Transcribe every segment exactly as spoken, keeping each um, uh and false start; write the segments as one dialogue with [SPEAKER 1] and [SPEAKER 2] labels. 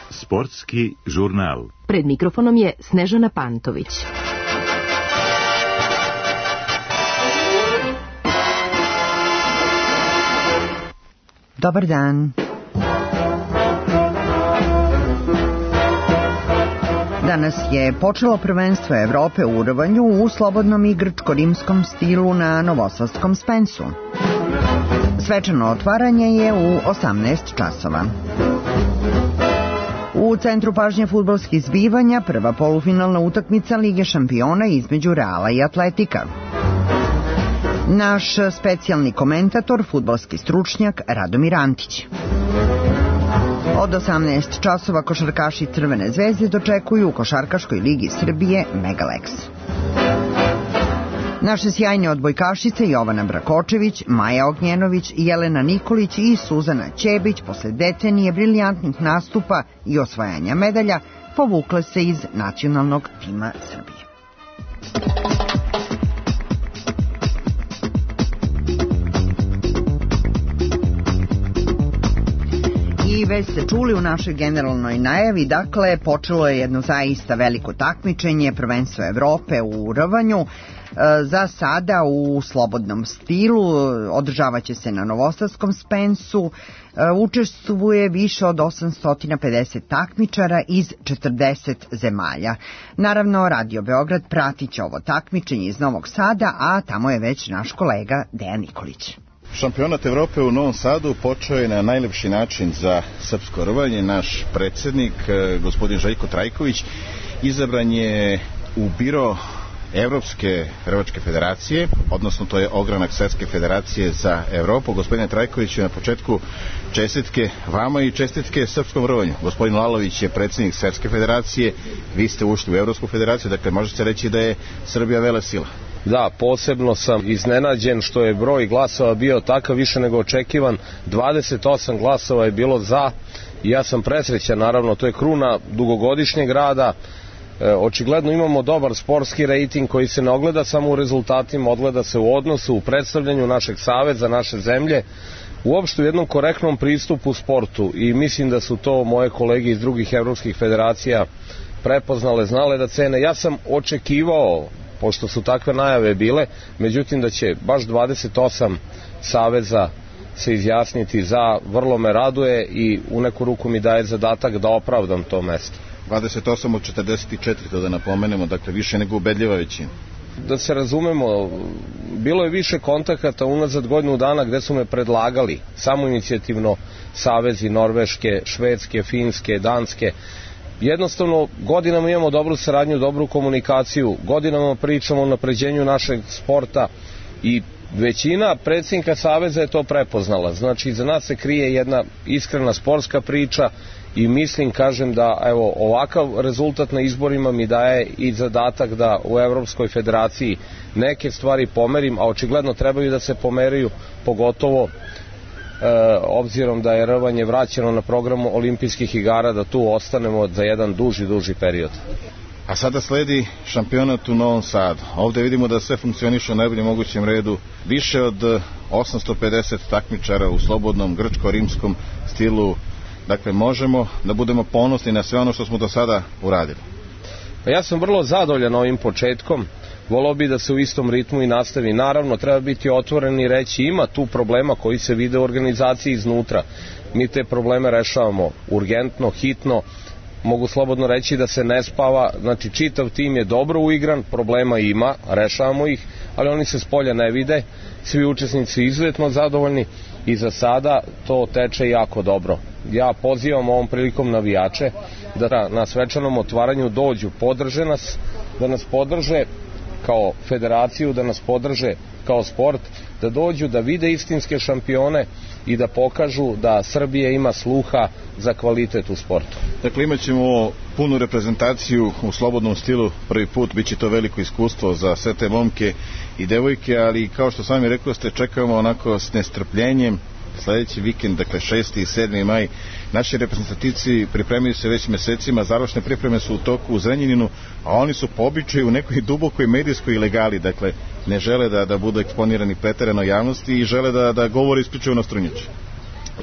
[SPEAKER 1] Sportski žurnal.
[SPEAKER 2] Pred mikrofonom je Snežana Pantović.
[SPEAKER 3] Dobar dan. Danas je počelo prvenstvo Evrope u rvanju u slobodnom i grčko-rimskom stilu na novosadskom Spensu. Svečano otvaranje je u osamnaest časova. U centru pažnje fudbalskih zbivanja prva polufinalna utakmica Lige šampiona između Reala i Atletika. Naš specijalni komentator, fudbalski stručnjak Radomir Antić. Od osamnaest časova košarkaši Crvene zvezde dočekuju u Košarkaškoj ligi Srbije Megalex. Naše sjajne odbojkašice Jovana Brakočević, Maja Ognjenović, Jelena Nikolić i Suzana Ćebić posle decenije briljantnih nastupa i osvajanja medalja povukle se iz nacionalnog tima Srbije. I već ste čuli u našoj generalnoj najavi, dakle, počelo je jedno zaista veliko takmičenje, prvenstvo Evrope u rvanju. Za sada u slobodnom stilu, održavaće se na novosadskom Spensu, učestvuje više od osamsto pedeset takmičara iz četrdeset zemalja. Naravno, Radio Beograd pratit će ovo takmičenje iz Novog Sada, a tamo je već naš kolega Dejan Nikolić.
[SPEAKER 4] Šampionat Evrope u Novom Sadu počeo je na najlepši način za srpsko rvanje. Naš predsednik, gospodin Željko Trajković, izabran je u biro Evropske rvačke federacije, odnosno to je ogranak Svetske federacije za Evropu. Gospodine Trajkoviću, na početku čestitke vama i čestitke srpskom rvanju. Gospodin Lalović je predsednik Svetske federacije, vi ste ušli u Evropsku federaciju, dakle može se reći da je Srbija velesila.
[SPEAKER 5] Da, posebno sam iznenađen što je broj glasova bio takav, više nego očekivan. dvadeset osam glasova je bilo za i ja sam presrećan, naravno, to je kruna dugogodišnjeg rada. E, očigledno imamo dobar sportski rejting koji se ne ogleda samo u rezultatima, ogleda se u odnosu, u predstavljanju našeg saveza, naše zemlje, uopšte u jednom korektnom pristupu sportu, i mislim da su to moje kolege iz drugih evropskih federacija prepoznale, znale da cene. Ja sam očekivao, pošto su takve najave bile, međutim da će baš dvadeset osam saveza se izjasniti za, vrlo me raduje i u neku ruku mi daje zadatak da opravdam to mesto.
[SPEAKER 4] dvadeset osam od četrdeset četiri, to da napomenemo, dakle više nego ubedljiva većina.
[SPEAKER 5] Da se razumemo, bilo je više kontakata unazad godinu dana gde su me predlagali samoinicijativno savezi Norveške, Švedske, Finske, Danske. Jednostavno, godinama imamo dobru saradnju, dobru komunikaciju, godinama pričamo o napređenju našeg sporta i većina predsjednika saveza je to prepoznala. Znači, za nas se krije jedna iskrena sportska priča i mislim, kažem, da evo ovakav rezultat na izborima mi daje i zadatak da u Evropskoj federaciji neke stvari pomerim, a očigledno trebaju da se pomeraju, pogotovo E, obzirom da je rvanje vraćeno na programu olimpijskih igara, da tu ostanemo za jedan duži, duži period.
[SPEAKER 4] A sada sledi šampionat u Novom Sadu. Ovde vidimo da sve funkcioniše u najboljem mogućem redu. Više od osamsto pedeset takmičara u slobodnom grčko-rimskom stilu. Dakle, možemo da budemo ponosni na sve ono što smo do sada uradili.
[SPEAKER 5] Pa ja sam vrlo zadovoljan ovim početkom. Volao bi da se u istom ritmu i nastavi. Naravno, treba biti otvoren i reći ima tu problema koji se vide u organizaciji iznutra. Mi te probleme rešavamo urgentno, hitno. Mogu slobodno reći da se ne spava. Znači, čitav tim je dobro uigran, problema ima, rešavamo ih, ali oni se s polja ne vide. Svi učesnici izuzetno zadovoljni i za sada to teče jako dobro. Ja pozivam ovom prilikom navijače da na svečanom otvaranju dođu, podrže nas, da nas podrže kao federaciju, da nas podrže kao sport, da dođu da vide istinske šampione i da pokažu da Srbija ima sluha za kvalitet u sportu.
[SPEAKER 4] Dakle, imat ćemo punu reprezentaciju u slobodnom stilu prvi put, bit će to veliko iskustvo za sve te momke i devojke, ali kao što sami rekao ste, čekamo onako s nestrpljenjem sledeći vikend, dakle šesti i sedmi maj. Naši reprezentativci pripremaju se već mesecima, završne pripreme su u toku u Zrenjaninu, a oni su po običaju u nekoj dubokoj medijskoj ilegali, dakle ne žele da, da budu eksponirani preterano javnosti i žele da, da govore isključivo na strunjači.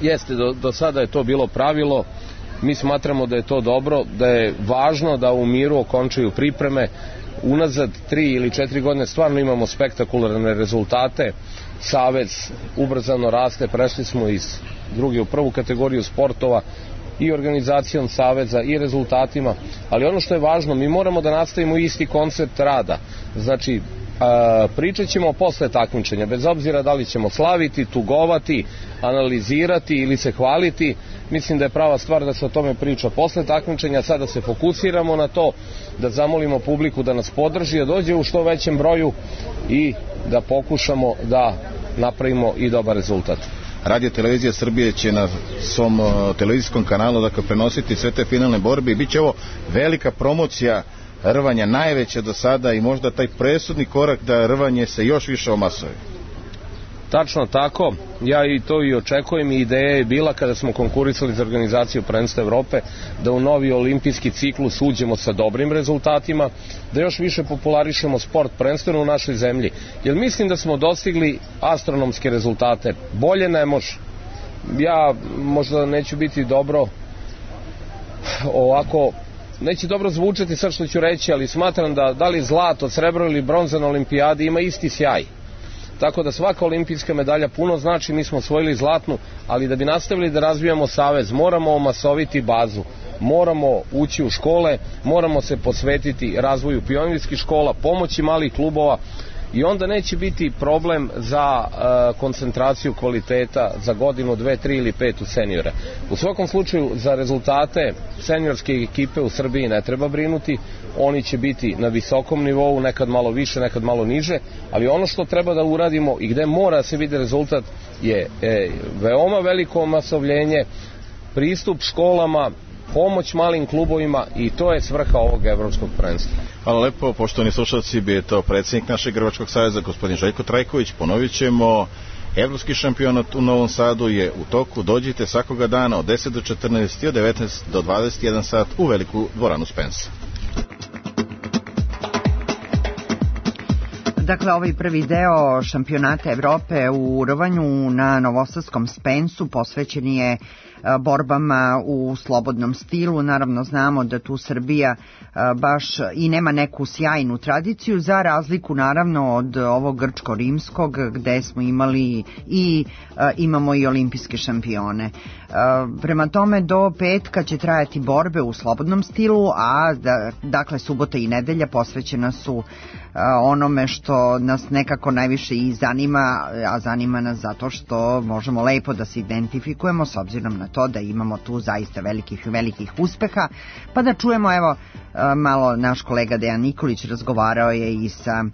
[SPEAKER 5] Jeste, do, do sada je to bilo pravilo, mi smatramo da je to dobro, da je važno da u miru okončaju pripreme. Unazad tri ili četiri godine stvarno imamo spektakularne rezultate, Savez ubrzano raste, prešli smo iz druge u prvu kategoriju sportova i organizacijom Saveza i rezultatima, ali ono što je važno, mi moramo da nastavimo isti koncept rada, znači a, pričat ćemo posle takmičenja, bez obzira da li ćemo slaviti, tugovati, analizirati ili se hvaliti. Mislim da je prava stvar da se o tome priča posle takmičenja, sada se fokusiramo na to, da zamolimo publiku da nas podrži, da dođe u što većem broju i da pokušamo da napravimo i dobar rezultat.
[SPEAKER 4] Radio Televizija Srbije će na svom televizijskom kanalu dakle prenositi sve te finalne borbe i bit će ovo velika promocija rvanja, najveća do sada i možda taj presudni korak da rvanje se još više omasuje.
[SPEAKER 5] Tačno tako, ja i to i očekujem i ideja je bila kada smo konkurisali za organizaciju prvenstva Evrope da u novi olimpijski ciklus uđemo sa dobrim rezultatima, da još više popularišemo sport prvenstveno u našoj zemlji, jer mislim da smo dostigli astronomske rezultate, bolje ne može. Ja možda neću biti dobro ovako, neće dobro zvučati sad što ću reći, ali smatram da da li zlato, srebro ili bronza na olimpijadi ima isti sjaj. Tako da svaka olimpijska medalja puno znači, mi smo osvojili zlatnu, ali da bi nastavili da razvijamo savez, moramo omasoviti bazu, moramo ući u škole, moramo se posvetiti razvoju pionirskih škola, pomoći malih klubova i onda neće biti problem za uh, koncentraciju kvaliteta za godinu, dve, tri ili pet u seniore. U svakom slučaju za rezultate seniorske ekipe u Srbiji ne treba brinuti, oni će biti na visokom nivou, nekad malo više, nekad malo niže, ali ono što treba da uradimo i gde mora se vidi rezultat je e, veoma veliko omasovljenje, pristup školama, pomoć malim klubovima i to je svrha ovog evropskog prvenstva.
[SPEAKER 4] Hvala lepo, poštovani slušalci, bio je to predsjednik našeg Rvačkog saveza, gospodin Željko Trajković. Ponovit ćemo, evropski šampionat u Novom Sadu je u toku, dođite svakoga dana od deset do četrnaest i od devetnaest do dvadeset jedan sat u veliku dvoranu Spence.
[SPEAKER 3] Dakle, ovaj prvi deo šampionata Evrope u rvanju na novosadskom Spensu posvećen je borbama u slobodnom stilu. Naravno znamo da tu Srbija baš i nema neku sjajnu tradiciju, za razliku naravno od ovog grčko-rimskog gde smo imali i imamo i olimpijske šampione. Prema tome do petka će trajati borbe u slobodnom stilu, a da, dakle subota i nedelja posvećena su onome što nas nekako najviše i zanima, a zanima nas zato što možemo lepo da se identifikujemo s obzirom na to da imamo tu zaista velikih velikih uspeha. Pa da čujemo, evo, malo naš kolega Dejan Nikolić razgovarao je i sa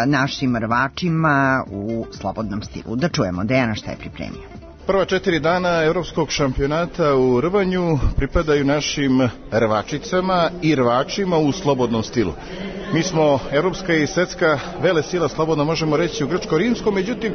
[SPEAKER 3] našim rvačima u slobodnom stilu. Da čujemo Dejana šta je pripremio.
[SPEAKER 4] Prva četiri dana evropskog šampionata u rvanju pripadaju našim rvačicama i rvačima u slobodnom stilu. Mi smo evropska i svetska vele sila, slobodno možemo reći, u grčko-rimskom, međutim,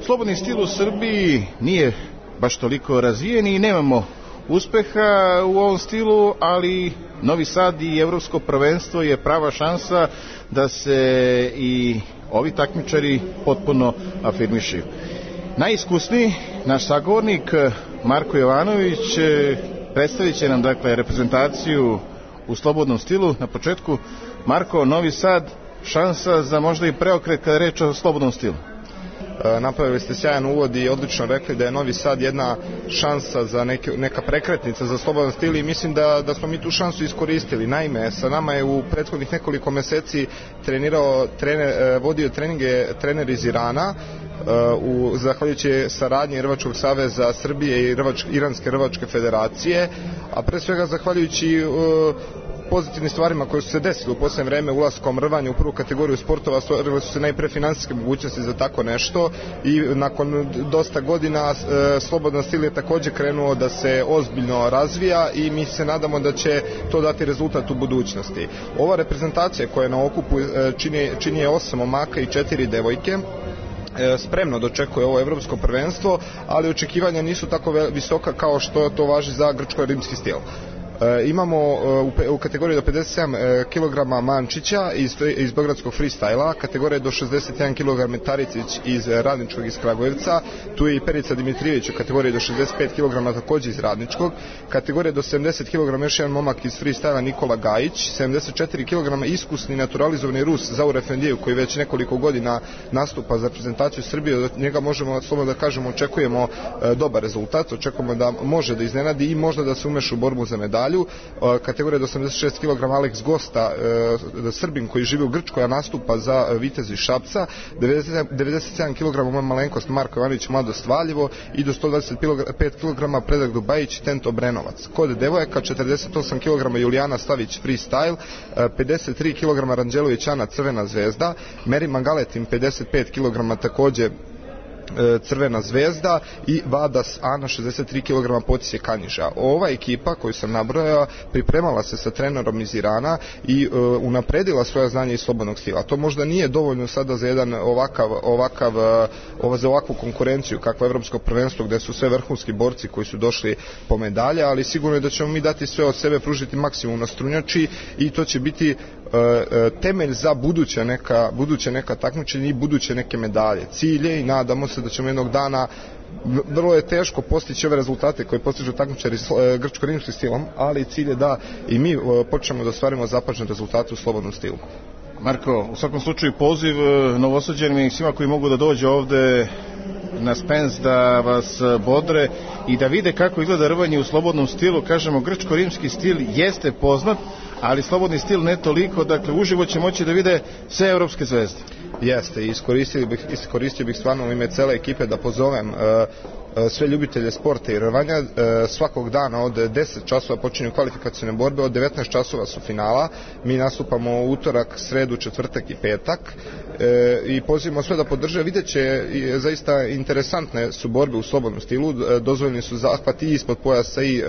[SPEAKER 4] slobodni stil u Srbiji nije baš toliko razvijen i nemamo uspeha u ovom stilu, ali Novi Sad i evropsko prvenstvo je prava šansa da se i ovi takmičari potpuno afirmišaju. Najiskusniji, naš sagovornik Marko Jovanović, predstavit će nam dakle reprezentaciju u slobodnom stilu. Na početku, Marko, Novi Sad, šansa za možda i preokret kada je reč o slobodnom stilu.
[SPEAKER 6] Napravili ste sjajan uvod i odlično rekli da je Novi Sad jedna šansa za neke, neka prekretnica za slobodan stil i mislim da, da smo mi tu šansu iskoristili. Naime, sa nama je u prethodnih nekoliko meseci trenirao, trener, vodio treninge trener iz Irana, u zahvaljujući saradnji Rvačkog saveza Srbije i Rvač, Iranske rvačke federacije, a pre svega zahvaljujući uh, pozitivnim stvarima koje su se desile u posljednje vreme ulaskom rvanja u prvu kategoriju sportova, stvorile su se najpre finansijske mogućnosti za tako nešto i nakon dosta godina e, slobodan stil je također krenuo da se ozbiljno razvija i mi se nadamo da će to dati rezultat u budućnosti. Ova reprezentacija koja je na okupu e, čini, čini je osam momaka i četiri devojke. spremno dočekuje ovo evropsko prvenstvo, ali očekivanja nisu tako visoka kao što to važi za grčko-rimski stil. E, imamo u, u kategoriji do pedeset sedam kilograma Mančića iz, iz beogradskog freestyla, kategorija do šezdeset jedan kilograma Taricić iz Radničkog iz Kragujevca, tu je i Perica Dimitrijević u kategoriji do šezdeset pet kilograma takođe iz Radničkog, kategorija do sedamdeset kilograma još jedan momak iz freestyla Nikola Gajić, sedamdeset četiri kilograma iskusni naturalizovani Rus Zaur Efendijev koji već nekoliko godina nastupa za reprezentaciju Srbije, od njega možemo slobodno da kažemo očekujemo e, dobar rezultat, očekujemo da može da iznenadi i možda da se umeša u borbu za medalju. Kategorija do osamdeset šest kilograma Alex Gosta, e, Srbin koji živi u Grčkoj, a nastupa za Vitez iz Šapca, devedeset sedam kilograma malenkost Marko Ivanović Mladost Valjevo i do sto dvadeset pet kilograma Predrag Dubajić Tent Obrenovac. Kod devojaka četrdeset osam kilograma Julijana Stavić freestyle, pedeset tri kilograma Ranđelović Ana Crvena zvezda, Meri Magaletin pedeset pet kilograma takođe Crvena zvezda i Vadas Ana šezdeset tri kilograma Potisje Kanjiža. Ova ekipa koju sam nabrojao pripremala se sa trenerom iz Irana i uh, unapredila svoja znanja iz slobodnog stila. To možda nije dovoljno sada za jedan ovakav, ovakav uh, za ovakvu konkurenciju kakvo je evropsko prvenstvo gde su sve vrhunski borci koji su došli po medalje, ali sigurno je da ćemo mi dati sve od sebe, pružiti maksimum na strunjači i to će biti uh, uh, temelj za buduće neka, buduće neka takmičenja i buduće neke medalje. Cilje i nadamo se da ćemo jednog dana, vrlo je teško postići ove rezultate koje postižu takmičari grčko-rimskim stilom, ali cilj je da i mi počnemo da ostvarimo zapažene rezultate u slobodnom stilu.
[SPEAKER 4] Marko, u svakom slučaju poziv Novosađanima i svima koji mogu da dođe ovde na Spens da vas bodre i da vide kako izgleda rvanje u slobodnom stilu. Kažemo, grčko-rimski stil jeste poznat, ali slobodni stil ne toliko, dakle uživo će moći da vide sve evropske zvezde.
[SPEAKER 6] Jeste, iskoristio bih, iskoristio bih stvarno u ime cele ekipe da pozovem uh, sve ljubitelje sporta i rvanja. Svakog dana od deset časova počinju kvalifikacione borbe, od devetnaest časova su finala. Mi nastupamo utorak, sredu, četvrtak i petak i pozivamo sve da podrže. Vidjet će, zaista interesantne su borbe u slobodnom stilu, dozvoljeni su zahvati i ispod pojasa i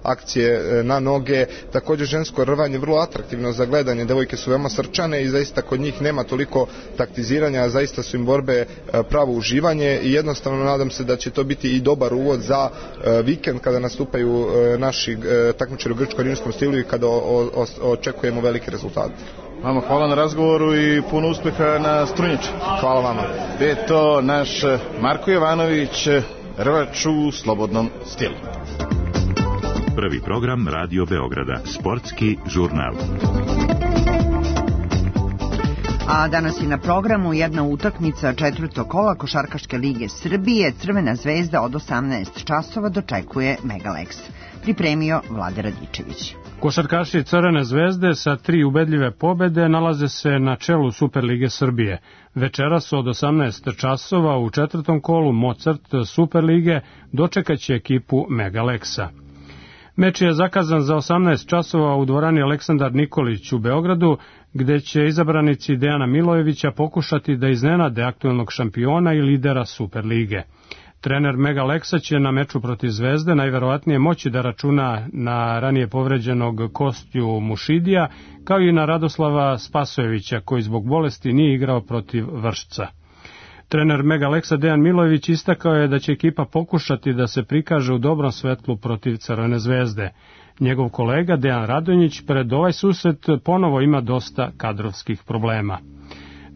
[SPEAKER 6] akcije na noge. Također žensko rvanje vrlo atraktivno za gledanje, devojke su veoma srčane i zaista kod njih nema toliko taktiziranja, zaista su im borbe pravo uživanje i jednostavno nadam se da će to biti i dobar uvod za uh, vikend kada nastupaju uh, naši uh, takmičari u grčko-rimskom stilu i kada o, o, očekujemo velike rezultate.
[SPEAKER 4] Vama hvala na razgovoru i puno uspeha na strunjači.
[SPEAKER 6] Hvala vama.
[SPEAKER 4] Je to naš Marko Jovanović, rvač u slobodnom stilu.
[SPEAKER 1] Prvi program Radio Beograda, sportski žurnal.
[SPEAKER 3] A danas je na programu jedna utakmica četvrtog kola Košarkaške lige Srbije. Crvena zvezda od osamnaest časova dočekuje Megalex. Pripremio Vlade Radičević.
[SPEAKER 7] Košarkaši Crvene zvezde sa tri ubedljive pobede nalaze se na čelu Superlige Srbije. Večeras od osamnaest časova u četvrtom kolu Mozart Superlige dočekaće ekipu Megalexa. Meč je zakazan za osamnaest časova u dvorani Aleksandar Nikolić u Beogradu, gde će izabranici Dejana Milojevića pokušati da iznenade aktuelnog šampiona i lidera Superlige. Trener Megalexa će na meču protiv Zvezde najverovatnije moći da računa na ranije povređenog Kostju Mušidija, kao i na Radoslava Spasojevića, koji zbog bolesti nije igrao protiv Vršca. Trener Megalexa Dejan Milojević istakao je da će ekipa pokušati da se prikaže u dobrom svetlu protiv Crvene zvezde. Njegov kolega Dejan Radonjić pred ovaj susret ponovo ima dosta kadrovskih problema.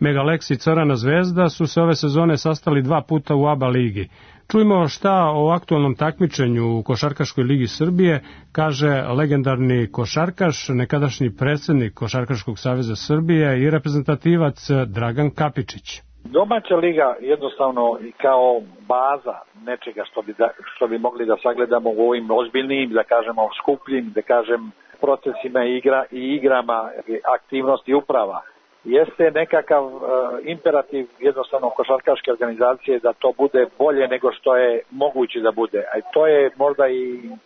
[SPEAKER 7] Megalex i Crvena zvezda su se ove sezone sastali dva puta u A B A ligi. Čujmo šta o aktualnom takmičenju u Košarkaškoj ligi Srbije kaže legendarni košarkaš, nekadašnji predsjednik Košarkaškog saveza Srbije i reprezentativac Dragan Kapičić.
[SPEAKER 8] Domaća liga jednostavno kao baza nečega što bi, da, što bi mogli da sagledamo u ovim ozbiljnim, da kažemo skupljim, da kažem procesima igra i igrama aktivnosti uprava. Jeste nekakav uh, imperativ jednostavno košarkaške organizacije da to bude bolje nego što je moguće da bude. A to je možda i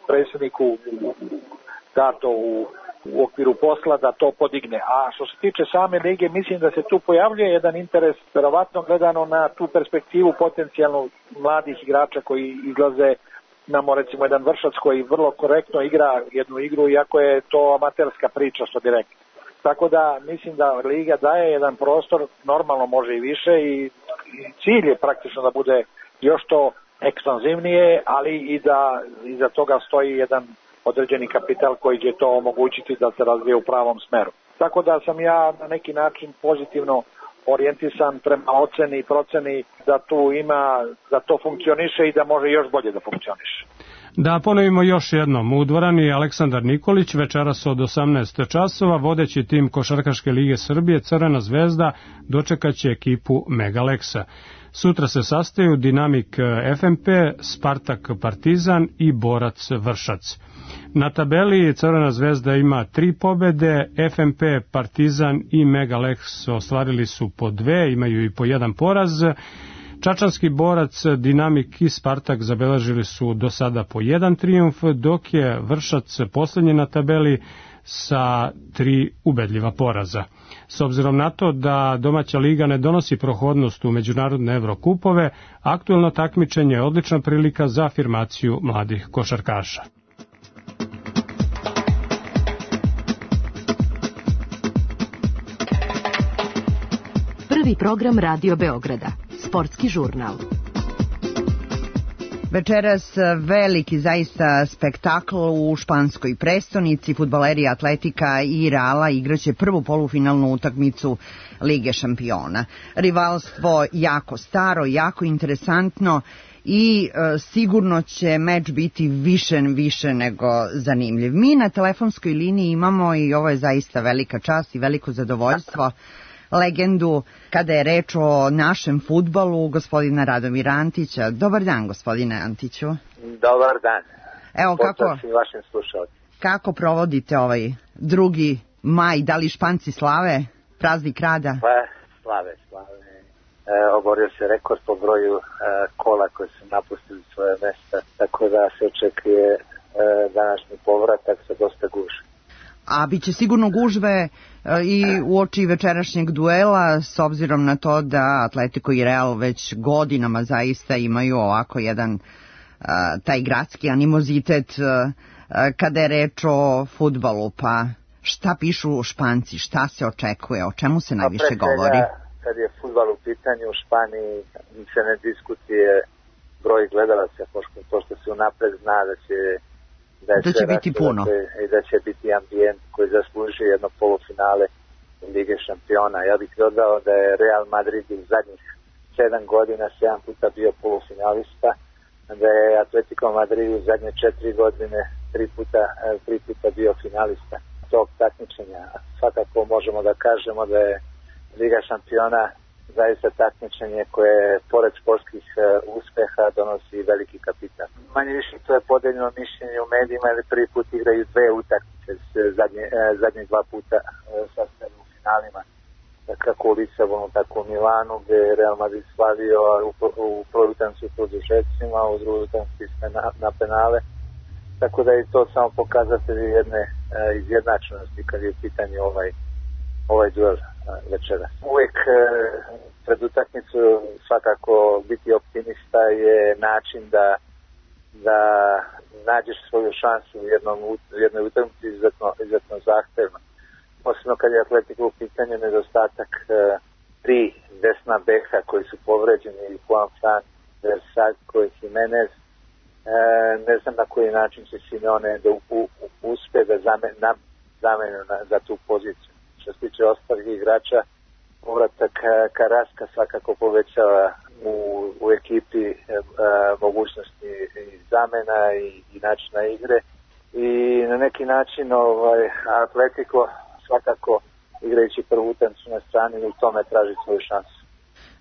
[SPEAKER 8] predsjedniku dato u u okviru posla da to podigne. A što se tiče same lige, mislim da se tu pojavljuje jedan interes, verovatno gledano na tu perspektivu potencijalno mladih igrača koji izlaze, namo recimo jedan Vršac koji vrlo korektno igra jednu igru, iako je to amaterska priča, što bi rekli. Tako da mislim da liga daje jedan prostor, normalno može i više i cilj je praktično da bude još to ekspanzivnije, ali i da iza toga stoji jedan određeni kapital koji će to omogućiti da se razvije u pravom smeru. Tako da sam ja na neki način pozitivno orijentisan prema oceni i proceni da tu ima, da to funkcioniše i da može još bolje da funkcioniše.
[SPEAKER 7] Da ponovimo još jednom, u dvorani Aleksandar Nikolić, večeras od osamnaest časova, vodeći tim Košarkaške lige Srbije Crvena zvezda dočekaće ekipu Megaleksa. Sutra se sastaju Dinamik F M P, Spartak Partizan i Borac Vršac. Na tabeli Crvena zvezda ima tri pobede, F M P, Partizan i Megaleks ostvarili su po dve, imaju i po jedan poraz. Čačanski Borac, Dinamik i Spartak zabeležili su do sada po jedan trijumf, dok je Vršac poslednji na tabeli sa tri ubedljiva poraza. S obzirom na to da domaća liga ne donosi prohodnost u međunarodne Evrokupove, aktuelno takmičenje je odlična prilika za afirmaciju mladih košarkaša.
[SPEAKER 2] Prvi program Radio Beograda. Sportski žurnal.
[SPEAKER 3] Večeras veliki zaista spektakl u španskoj prestonici. Fudbaleri Atletika i Reala igraće prvu polufinalnu utakmicu Lige šampiona. Rivalstvo jako staro, jako interesantno i e, sigurno će meč biti više, više nego zanimljiv. Mi na telefonskoj liniji imamo, i ovo je zaista velika čast i veliko zadovoljstvo, legendu kada je reč o našem fudbalu, gospodina Radomira Antića. Dobar dan, gospodine Antiću.
[SPEAKER 9] Dobar dan.
[SPEAKER 3] Evo kako,
[SPEAKER 9] vašim slušalcima.
[SPEAKER 3] Kako provodite ovaj drugi maj? Da li Španci slave praznik rada?
[SPEAKER 9] Pa, slave, slave. E, oborio se rekord po broju e, kola koje su napustili svoje mesta, tako da se očekuje e, današnji povratak sa dosta gužve.
[SPEAKER 3] A bit će sigurno gužve e, i u oči večerašnjeg duela, s obzirom na to da Atletico i Real već godinama zaista imaju ovako jedan e, taj gradski animozitet e, kada je reč o fudbalu. Pa šta pišu Španci, šta se očekuje, o čemu se najviše
[SPEAKER 9] pa
[SPEAKER 3] govori?
[SPEAKER 9] Kad je fudbal u pitanju u Španiji se ne diskutuje broj gledalaca, pošto se unapred zna da će da,
[SPEAKER 3] da će biti puno
[SPEAKER 9] i da će biti ambijent koji zaslužuje jedno polufinale Lige šampiona. Ja bih dodao da je Real Madrid u zadnjih sedam godina sedam puta bio polufinalista, da je Atletico Madrid u zadnje četiri godine tri puta, tri puta bio finalista tog takmičenja. Svakako možemo da kažemo da je Liga šampiona zaista takmičenje koje pored sportskih uh, uspeha donosi veliki kapital. Manje više to je podeljeno mišljenje u medijima, ili prvi put igraju dve utakmice, zadnje, uh, zadnje dva puta uh, sastavljaju u finalima, kako u Lisabonu, tako u Milanu, gde je Real Madrid slavio u, u prvoj utakmici u produžecima, u drugoj utakmici na, na penale, tako da je to samo pokazatelj jedne uh, izjednačenosti kad je u pitanju ovaj ovaj duel večera. Uvijek pred utakmicu svakako biti optimista je način da da nađeš svoju šansu u jednom u jednoj utakmici izuzetno, izuzetno zahtevno. Posebno kad je Atletico u pitanju nedostatak tri desna beka koji su povređeni, Juan Fran, Versaco i Jimenez. Ne znam na koji način će Simeone da uspe da zamenu za tu poziciju. Što se tiče ostalih igrača, povratak Karaska svakako povećava u, u ekipi e, mogućnosti i zamena i, i načina igre i na neki način ovaj, Atletico svakako igrajući prvu utakmicu na strani u tome traži svoju šansu.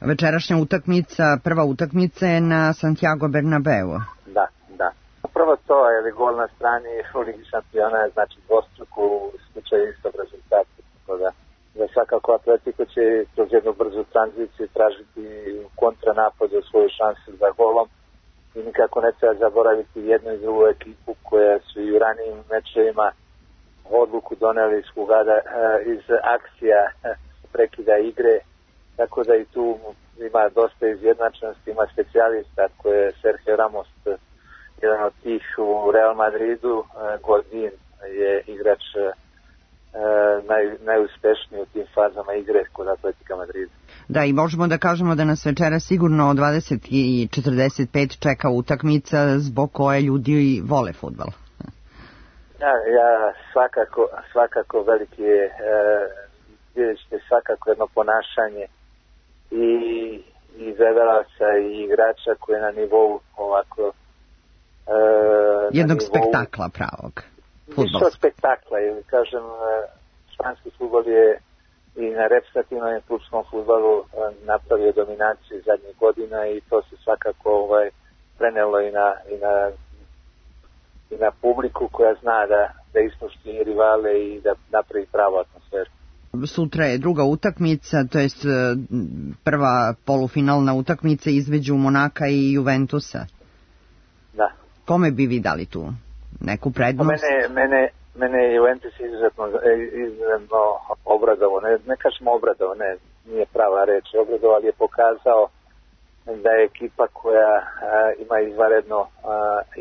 [SPEAKER 3] Večerašnja utakmica, prva utakmica je na Santiago Bernabeu.
[SPEAKER 9] Da, da. Prvo to je li gol na strani u Ligi šampiona je znači dvostruku u slučaju istog rezultata. Da, da svakako Atletico će kroz jednu brzu tranziciju tražiti kontranapad za svoju šansu za golom i nikako ne treba zaboraviti jednu i drugu ekipu koja su i u ranijim mečevima odluku doneli iz, hugada, iz akcija prekida igre, tako da i tu ima dosta izjednačenosti, ima specijalista koje je Sergio Ramos, jedan od tih u Real Madridu, Godin je igrač Naj, najuspešniji u tim fazama igre kod Atletika Madrida.
[SPEAKER 3] Da, i možemo da kažemo da nas večera sigurno od dvadeset i četrdeset pet čeka utakmica zbog koje ljudi vole fudbal.
[SPEAKER 9] Ja, ja svakako, svakako veliki je, e, vidjet ćete svakako jedno ponašanje i, i gledalaca i igrača koji je na nivou ovako... E,
[SPEAKER 3] jednog
[SPEAKER 9] nivou,
[SPEAKER 3] spektakla pravog.
[SPEAKER 9] Više od spektakla, jer kažem, španski fudbal je i na reprezentativnom i klubskom fudbalu napravio dominaciju zadnjih godina i to se svakako ovaj, prenelo i na, i na i na publiku koja zna da, da ispoštuje rivale i da napravi pravu atmosferu.
[SPEAKER 3] Sutra je druga utakmica, to jest prva polufinalna utakmica između Monaka i Juventusa.
[SPEAKER 9] Da.
[SPEAKER 3] Kome bi vi dali tu neku prednost?
[SPEAKER 9] Mene, mene, mene je Juventus izuzetno, izuzetno obradovao, ne, ne kažemo obradovao, ne, nije prava reč, obradovao, ali je pokazao da je ekipa koja a, ima izvanredno a,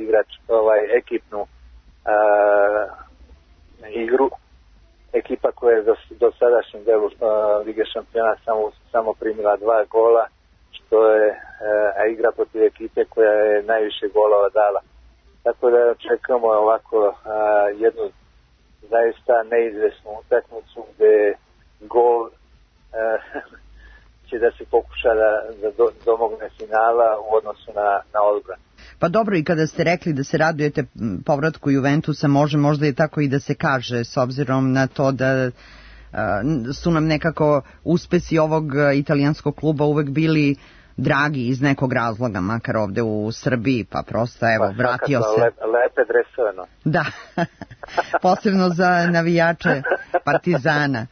[SPEAKER 9] igrač, ovaj, ekipnu a, igru, ekipa koja je do, do sadašnjem delu a, Lige šampiona samo, samo primila dva gola, što je, a, a igra protiv ekipe koja je najviše golova dala. Tako da očekujemo ovako a, jednu zaista neizvesnu utakmicu gde gol a, će da se pokuša da, da do, domogne finala u odnosu na, na odbran.
[SPEAKER 3] Pa dobro, i kada ste rekli da se radujete povratku Juventusa, može možda i tako i da se kaže, s obzirom na to da a, su nam nekako uspesi ovog italijanskog kluba uvek bili dragi iz nekog razloga, makar ovde u Srbiji, pa prosto evo, pa, vratio se.
[SPEAKER 9] Lep, lepe dresovano.
[SPEAKER 3] Da, posebno za navijače Partizana.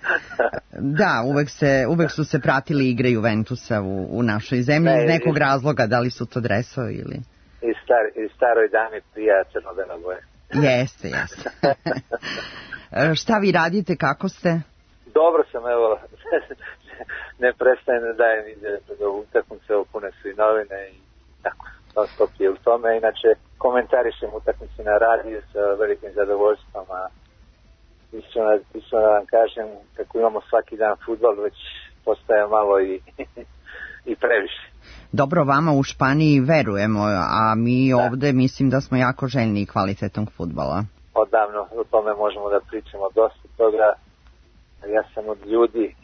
[SPEAKER 3] Da, uvek, se, uvek su se pratili igre Juventusa u, u našoj zemlji ne, iz nekog iz, razloga, da li su to dresovi ili...
[SPEAKER 9] I, star, i staroj dami prija crno-bela boja.
[SPEAKER 3] Jeste, jeste. Šta vi radite, kako ste?
[SPEAKER 9] Dobro sam, evo, ne prestajem da dajem ide do utakmice, opune su i novine i tako, non stop je u tome. Inače, komentarišem utakmice na radiju sa velikim zadovoljstvom, a iskreno da vam kažem, kako imamo svaki dan fudbal, već postaje malo i, i previše.
[SPEAKER 3] Dobro, vama u Španiji verujemo, a mi da. Ovde mislim da smo jako željni kvalitetnog fudbala.
[SPEAKER 9] Odavno o tome možemo da pričamo dosta toga. Ja sam od ljudi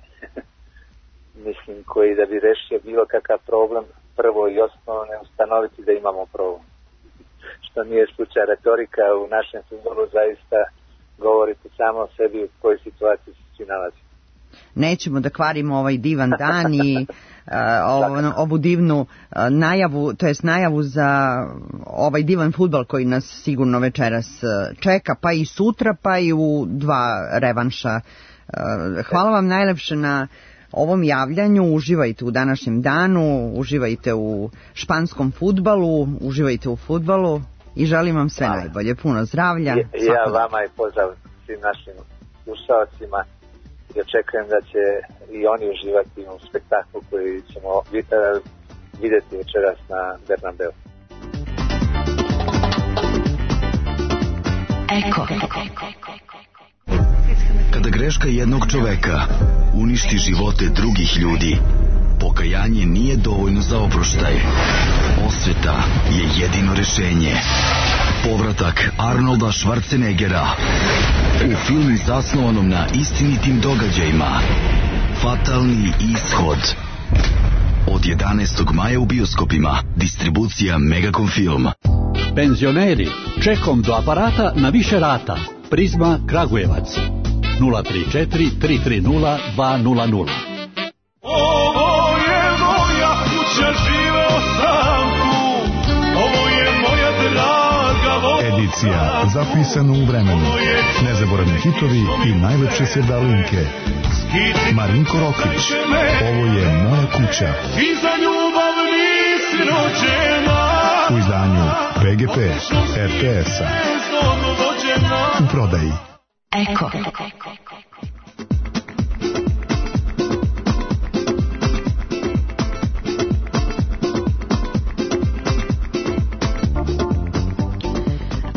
[SPEAKER 9] mislim koji da bi rešio bilo kakav problem, prvo i osnovno ne ustanoviti da imamo problem. Što nije slučaj, retorika u našem fudbalu zaista govorite samo o sebi u kojoj situaciji se svi nalazi.
[SPEAKER 3] Nećemo da kvarimo ovaj divan dan i uh, ovu, ovu divnu uh, najavu, to jest najavu za ovaj divan fudbal koji nas sigurno večeras uh, čeka, pa i sutra, pa i u dva revanša. Uh, hvala vam najlepše na ovom javljanju, uživajte u današnjem danu, uživajte u španskom fudbalu, uživajte u fudbalu i želim vam sve hvala. Najbolje, puno zdravlja.
[SPEAKER 9] I, ja vama i pozdrav svim našim slušalcima i očekujem da će i oni uživati u spektaklu koji ćemo vidjeti večeras na Bernabeu.
[SPEAKER 2] Eko.
[SPEAKER 10] Kada greška jednog čoveka uništi živote drugih ljudi, pokajanje nije dovoljno za oproštaj. Osveta je jedino rešenje. Povratak Arnolda Schwarzeneggera u filmu zasnovanom na istinitim događajima Fatalni ishod. Od jedanaestog maja u bioskopima. Distribucija Megacom Film.
[SPEAKER 11] Penzioneri, čekom do aparata na više rata. Prizma Kragujevac. nula tri četiri tri tri nula dva nula nula.
[SPEAKER 12] Ovo je moja kuća, živeo sam tu. Ovo je moja draga voda.
[SPEAKER 13] Edicija zapisana u vremenu. Nezaboravni hitovi i najlepše sevdalinke. Marinko Rokić. Ovo je moja kuća.
[SPEAKER 12] I za ljubav nisi rođena.
[SPEAKER 13] U izdanju V G P R T S-a. U prodaji.
[SPEAKER 2] Eko.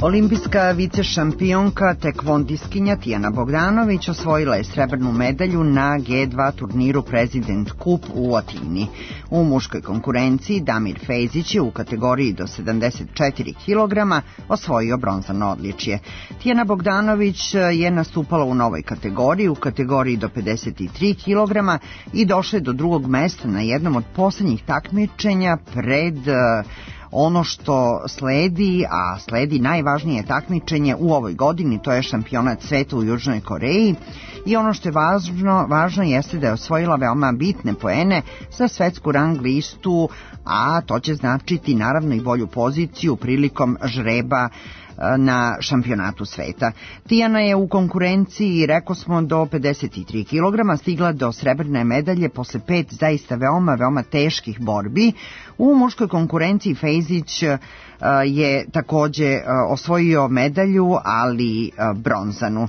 [SPEAKER 3] Olimpijska vicešampionka tekvondiskinja Tijana Bogdanović osvojila je srebrnu medalju na G dva turniru President Cup u Atini. U muškoj konkurenciji Damir Fejzić je u kategoriji do sedamdeset četiri kilograma osvojio bronzano odličje. Tijana Bogdanović je nastupala u novoj kategoriji, u kategoriji do pedeset tri kilograma i došla je do drugog mesta na jednom od poslednjih takmičenja pred ono što sledi, a sledi najvažnije takmičenje u ovoj godini, to je šampionat sveta u Južnoj Koreji. I ono što je važno, važno jeste da je osvojila veoma bitne poene za svetsku rang listu, a to će značiti naravno i bolju poziciju prilikom žreba na šampionatu sveta. Tijana je u konkurenciji, rekao smo, do pedeset tri kilograma stigla do srebrne medalje posle pet zaista veoma, veoma teških borbi. U muškoj konkurenciji Fejzić je takođe osvojio medalju, ali bronzanu.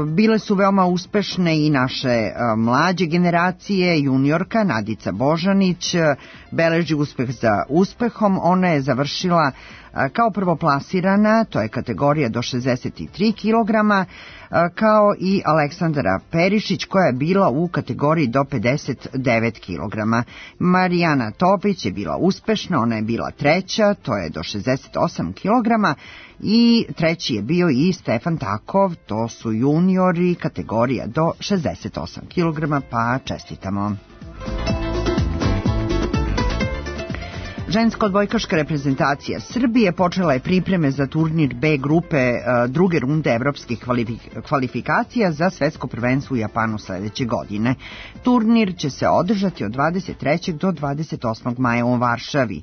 [SPEAKER 3] Bile su veoma uspešne i naše mlađe generacije. Juniorka Nadica Božanić beleži uspeh za uspehom. Ona je završila kao prvoplasirana, to je kategorija do šezdeset tri kilograma, kao i Aleksandra Perišić koja je bila u kategoriji do pedeset devet kilograma. Marijana Topić je bila uspešna, ona je bila treća, to je do šezdeset osam kilograma, i treći je bio i Stefan Takov, to su juniori, kategorija do šezdeset osam kilograma, pa čestitamo. Ženska odbojkaška reprezentacija Srbije počela je pripreme za turnir B grupe druge runde evropskih kvalifikacija za svetsko prvenstvo u Japanu sledeće godine. Turnir će se održati od dvadeset trećeg do dvadeset osmog maja u Varšavi.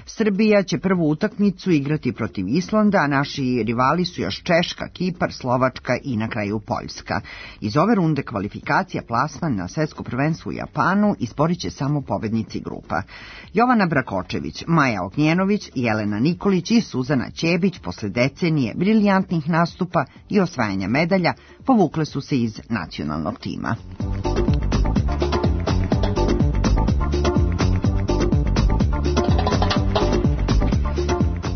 [SPEAKER 3] Srbija će prvu utakmicu igrati protiv Islanda, a naši rivali su još Češka, Kipar, Slovačka i na kraju Poljska. Iz ove runde kvalifikacija plasman na svetsko prvenstvo u Japanu izborit će samo pobednici grupa. Jovana Brakočević, Maja Ognjenović, Jelena Nikolić i Suzana Ćebić posle decenije briljantnih nastupa i osvajanja medalja povukle su se iz nacionalnog tima.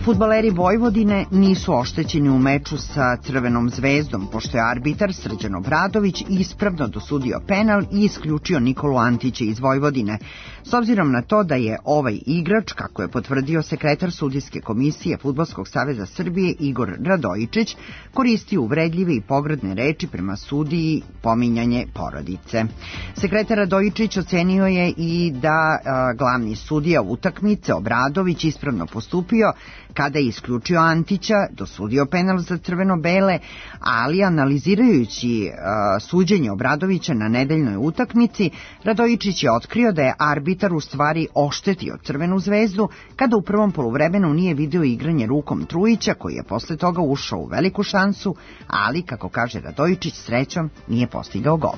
[SPEAKER 3] Fudbaleri Vojvodine nisu oštećeni u meču sa Crvenom zvezdom, pošto je arbitar Srđan Obradović ispravno dosudio penal i isključio Nikolu Antića iz Vojvodine. S obzirom na to da je ovaj igrač, kako je potvrdio sekretar sudijske komisije Fudbalskog saveza Srbije Igor Radojičić, koristio uvredljive i pogrdne reči prema sudiji, pominjanje porodice. Sekretar Radojičić ocenio je i da a, glavni sudija utakmice Obradović ispravno postupio kada je isključio Antića, dosudio penal za crveno-bele, ali analizirajući uh, suđenje Obradovića na nedeljnoj utakmici, Radojičić je otkrio da je arbitar u stvari oštetio Crvenu zvezdu kada u prvom poluvremenu nije video igranje rukom Trujića, koji je posle toga ušao u veliku šansu, ali, kako kaže Radojičić, srećom nije postigao gol.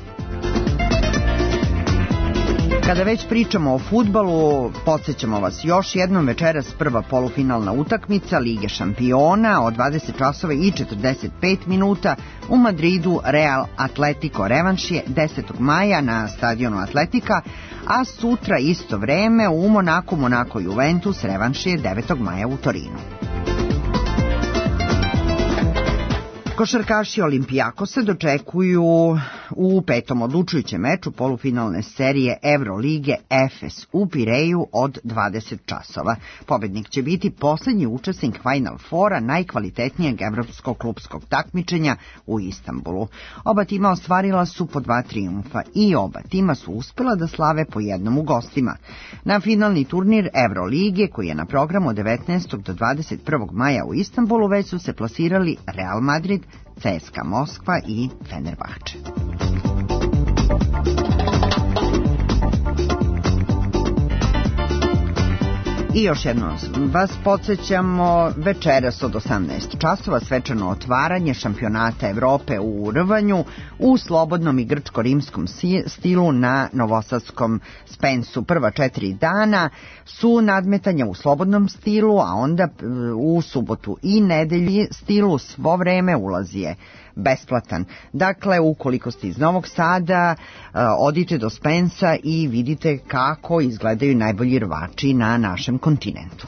[SPEAKER 3] Kada već pričamo o fudbalu, podsjećamo vas još jednom, večeras prva polufinalna utakmica Lige šampiona od dvadeset časova i četrdeset pet minuta u Madridu. Real Atletico revanš je desetog maja na stadionu Atletika, a sutra isto vreme u Monaku Monako Juventus revanš je devetog maja u Torinu. Košarkaši Olimpijakosa dočekuju u petom odlučujućem meču polufinalne serije Evrolige Efes u Pireju od dvadeset časova. Pobednik će biti poslednji učesnik Final Fora najkvalitetnijeg evropskog klupskog takmičenja u Istanbulu. Oba tima ostvarila su po dva trijumfa i oba tima su uspela da slave po jednom u gostima. Na finalni turnir Evrolige, koji je na programu od devetnaestog do dvadeset prvog maja u Istanbulu, već su se plasirali Real Madrid, C S K A Moskva i Fenerbahče. I još jednom vas podsjećamo, večeras od osamnaest časova svečano otvaranje šampionata Evrope u rvanju u slobodnom i grčko-rimskom stilu na novosadskom Spensu. Prva četiri dana su nadmetanja u slobodnom stilu, a onda u subotu i nedelji stilu svo vreme ulazi je besplatan. Dakle, ukoliko ste iz Novog Sada, odite do Spensa i vidite kako izgledaju najbolji rvači na našem kontinentu.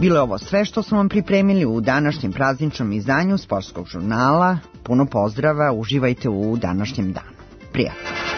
[SPEAKER 3] Bilo je ovo sve što smo vam pripremili u današnjem prazničnom izdanju Sportskog žurnala. Puno pozdrava, uživajte u današnjem danu. Prijatno.